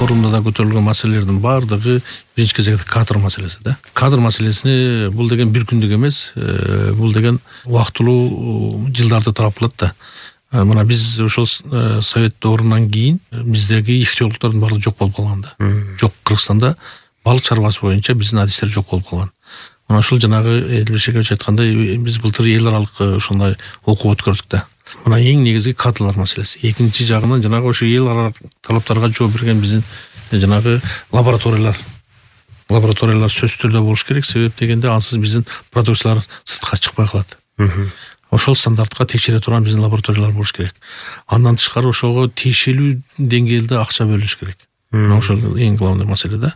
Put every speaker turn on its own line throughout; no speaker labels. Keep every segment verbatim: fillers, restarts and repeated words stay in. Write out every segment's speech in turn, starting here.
форумда да көтөрүлгөн маселелердин баардыгы биринчи кезекте кадр маселеси да. Кадр маселесини бул деген бир күндүк эмес, бул деген убактылуу жылдарды тарап калат да. Мына биз ошол совет доорунан кийин биздеги ихтиологдордун баары жок болуп калган да. Жок, Кыргызстанда балык чарбасы боюнча биздин адистер жок болуп калган. Мына ушул жанагы Элбешевич айткандай биз былтыр эл аралык ошондой окуу өткөрдүк да. Мына эң негизги кадрлар маселеси. Экинчи жагынан жанагы ошо эл аралык талаптарга жооп берген биздин жанагы лабораториялар. Лабораториялар сөзсүз түрдө болуш керек, себеп дегенде ансыз биздин продукциялар сыртка чыкпай калат. Ошол стандартка текшере турган биздин лабораториялар болуш керек. Андан тышкары ошого тиешелүү деңгээлде акча бөлүнүш керек. Ошол эң главный маселе да.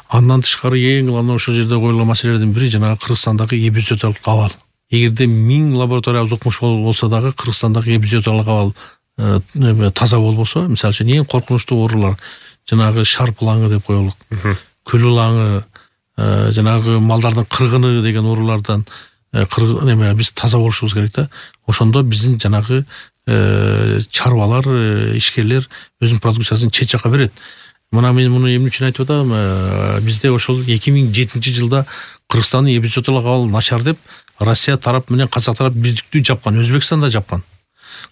Андан тышкары эң главный ошол жерде коюлган маселелердин бири жанагы Кыргызстандагы эпизооталык абал. Эгерде миң лаборатория укмуш болсо дагы Кыргызстандагы эпизооталык абал таза болбосо, мисалы үчүн эң коркунучтуу оорулар жанагы шарп лаңы деп коелук, күл лаңы, жанагы малдардын кыргыны деген оорулардан неме биз таза болушубуз керек да. Ошондо биздин жанагы чарбалар, ишкерлер өзүнүн продукциясын чет жака берет. Мына мен муну эмне үчүн айтып атам? Бизде ошол эки миң жетинчи жылда Кыргызстандын эпизооталык абалы начар деп Россия тарап менен Казак тарап бирдиктүү жапкан, Өзбекстанда жапкан.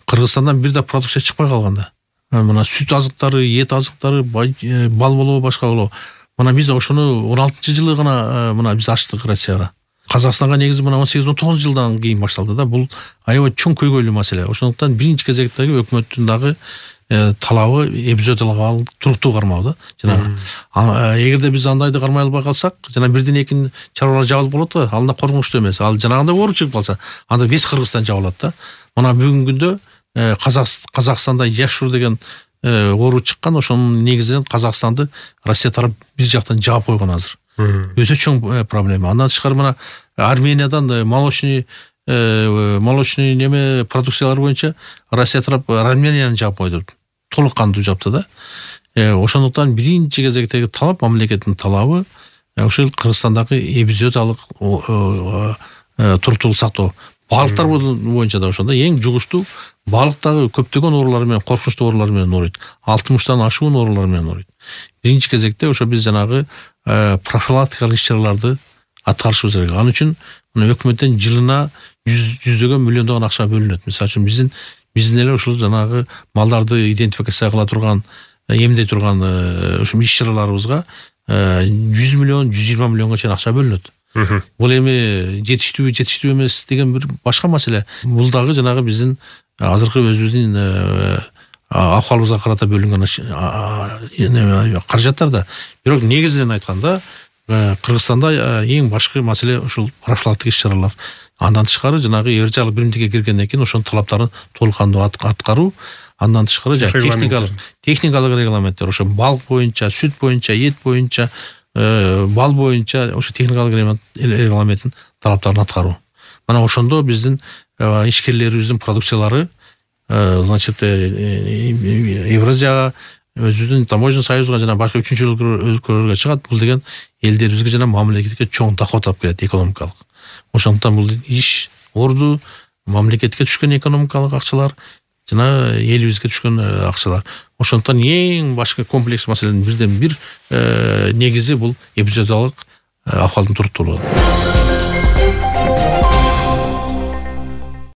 Кыргызстандан бир да продукция чыкпай калган да. Мына сүт азыктары, эт азыктары, бал болобу, башка болобу. Мына биз ошону он алтынчы жылы гана мына биз ачтык Россияга. Казакстанга негизи мына он сегиз он тогуз жылдан кийин башталды да. Бул аябай чоң көйгөйлүү маселе. Ошондуктан биринчи кезектеги өкмөттүн дагы талабы эпизооталык абал туруктуу кармоо да. Жана эгерде биз андайды кармай албай калсак, жана бирден экин чарбалар жабылып болот да, анда коркунучтуу эмес. Ал жанагындай оору чыгып калса, анда весь Кыргызстан жабылат да. Мына бүгүнкү күндө Казакстанда Яшур деген оору чыккан, ошонун негизинен Казакстанды Россия тарап бир жактан жаап койгон азыр. Өтө чоң проблема. Андан тышкары мына Армениядан молочный молочный неме продукциялар боюнча Россия тарап Арменияны жаап койду. Толук кандуу жапты да. Ошондуктан биринчи кезектеги талап, мамлекеттин талабы ошол Кыргызстандагы эпизооталык туруктуулук сактоо. Балыктар боюнча да ошондо эң жугуштуу балыктагы көптөгөн оорулар менен, коркунучтуу оорулар менен ооруйт. алтымыштан ашуун оорулар менен ооруйт. Биринчи кезекте ошо биз жанагы профилактикалык иш-чараларды аткарышыбыз керек. Ал үчүн мына өкмөттөн жылына жүздөгөн миллиондогон акча бөлүнөт. Мисалы үчүн биздин биздин эле ушул жанагы малдарды идентификация кыла турган, эмдей турган ушул иш-чараларыбызга жүз миллион, жүз жыйырма миллионго чейин акча бөлүнөт. Бул эми жетиштүү, жетиштүү эмес деген бир башка маселе. Бул дагы жанагы биздин азыркы өзүбүздүн акыбалыбызга карата бөлүнгөн каражаттар да. Бирок негизинен айтканда Кыргызстанда эң башкы маселе ушул профилактик иш-чаралар. Андан тышкары жанагы эржалык биримдикке киргенден кийин ошонун талаптарын толук кандуу аткаруу. Андан тышкары техникалык техникалык регламенттер, ошо балык боюнча, сүт боюнча, эт боюнча, бал боюнча ошо техникалык регламенттин талаптарын аткаруу. Мына ошондо биздин ишкерлерибиздин продукциялары значит Евразияга, өзүбүздүн таможенный союзга жана башка үчүнчү өлкөлөргө чыгат. Бул деген элдерибизге жана мамлекетке чоң доход алып келет, экономикалык. Ошондуктан бул иш орду, мамлекетке түшкөн экономикалык акчалар жана элибизге түшкөн акчалар. Ошондуктан эң башкы комплекс маселенин бирден бир негизи бул эпизооталык абалдын туруктуулугу.